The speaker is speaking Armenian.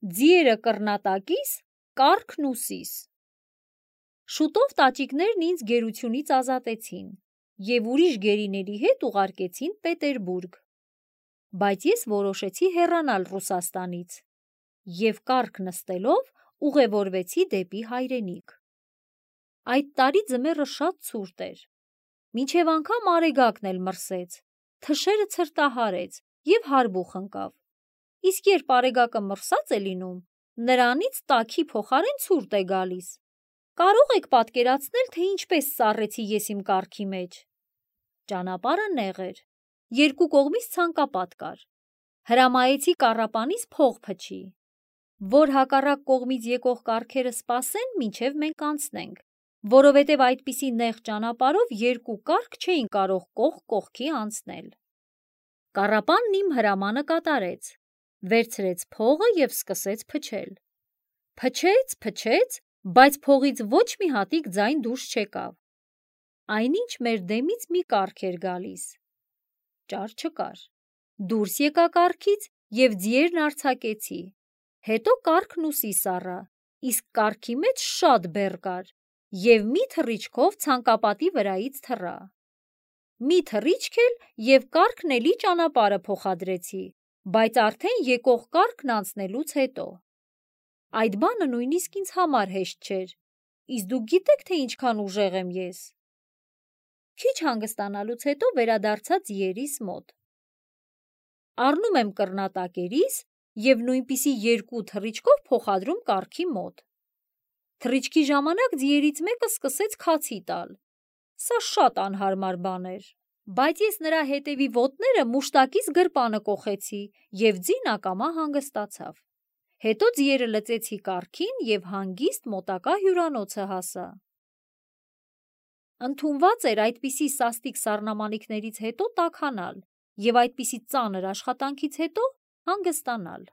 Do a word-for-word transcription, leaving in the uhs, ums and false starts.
ձիերը կռնատակիս, կառքն ուսիս։ Շուտով տաճիկներն ինձ գերությունից ազատեցին և ուրիշ գերիների հետ ուղարկեցին Պետերբուրգ, բայց ես որոշեցի հեռանալ Ռուսաստանից և կառք նստելով ուղևորվեցի դեպի հայրենիք։ Այդ տարի ձմեռը շատ ցուրտ էր, մինչև անգամ արեգակն էլ մրսեց, թշերը ցրտահարեց և հարբուխ ընկավ, իսկ երբ արեգակը մրսած է լինում, նրանից տաքի փոխարեն ցուրտ է գալիս։ Կարո՞ղ եք պատկերացնել, թե ինչպես սառեցի ես իմ կառքի մեջ։ Ճանապարհը նեղ էր, երկու կողմից ցանկապատ կար։ Հրամայեցի կառապանիս փող փչի, որ հակառակ կողմից եկող կառքերը սպասեն, մինչև մենք անցնենք, որովհետև այդպիսի նեղ ճանապարհով երկու կառք չէին կարող կողք կողքի անցնել։ Կառապանն իմ հրամանը կատարեց, վերցրեց փողը և սկսեց փչել։ Փչեց, փչեց, բայց փողից ոչ մի հատիկ ձայն դուրս չեկավ։ Այնինչ մեր դեմից մի կառք էր գալիս։ Ճար չկար։ Դուրս եկա կառքից և ձիերն արձակեցի։ Հետո կառքն ուսիս առա, իսկ կառքի մեջ շատ բեռ կար և մի թռիչքով ցանկապատի վրայից թռա։ Մի թռիչք էլ և կառքն էլի ճանապարհը փոխադրեցի, բայց արդեն եկող կառքն անցնելուց հետո։ Այդ բանը նույնիսկ ինձ համար հեշտ չէր, իսկ դուք գիտե՞ք, թե ինչքան ուժեղ եմ ես։ Քիչ հանգստանալուց հետո վերադարձա ձիերիս մոտ։ Առնում եմ կռնատակերիս և նույնպիսի երկու թռիչքով փոխադրում կառքի մոտ։ Թռիչքի ժամանակ ձիերից մեկը սկսեց քացի տալ։ Սա շատ անհարմար բան էր, բայց ես նրա հետևի ոտները մուշտակիս գրպանը կոխեցի և ձին ակամա հանգստացավ։ Հետո ձիերը լծեցի կառքին և հանգիստ մոտակա հյուրանոցը հասա։ Ընդունված էր այդպիսի սաստիկ սառնամանիքներից հետո տաքանալ և այդպիսի ծանր աշխատանքից հետո հանգստանալ։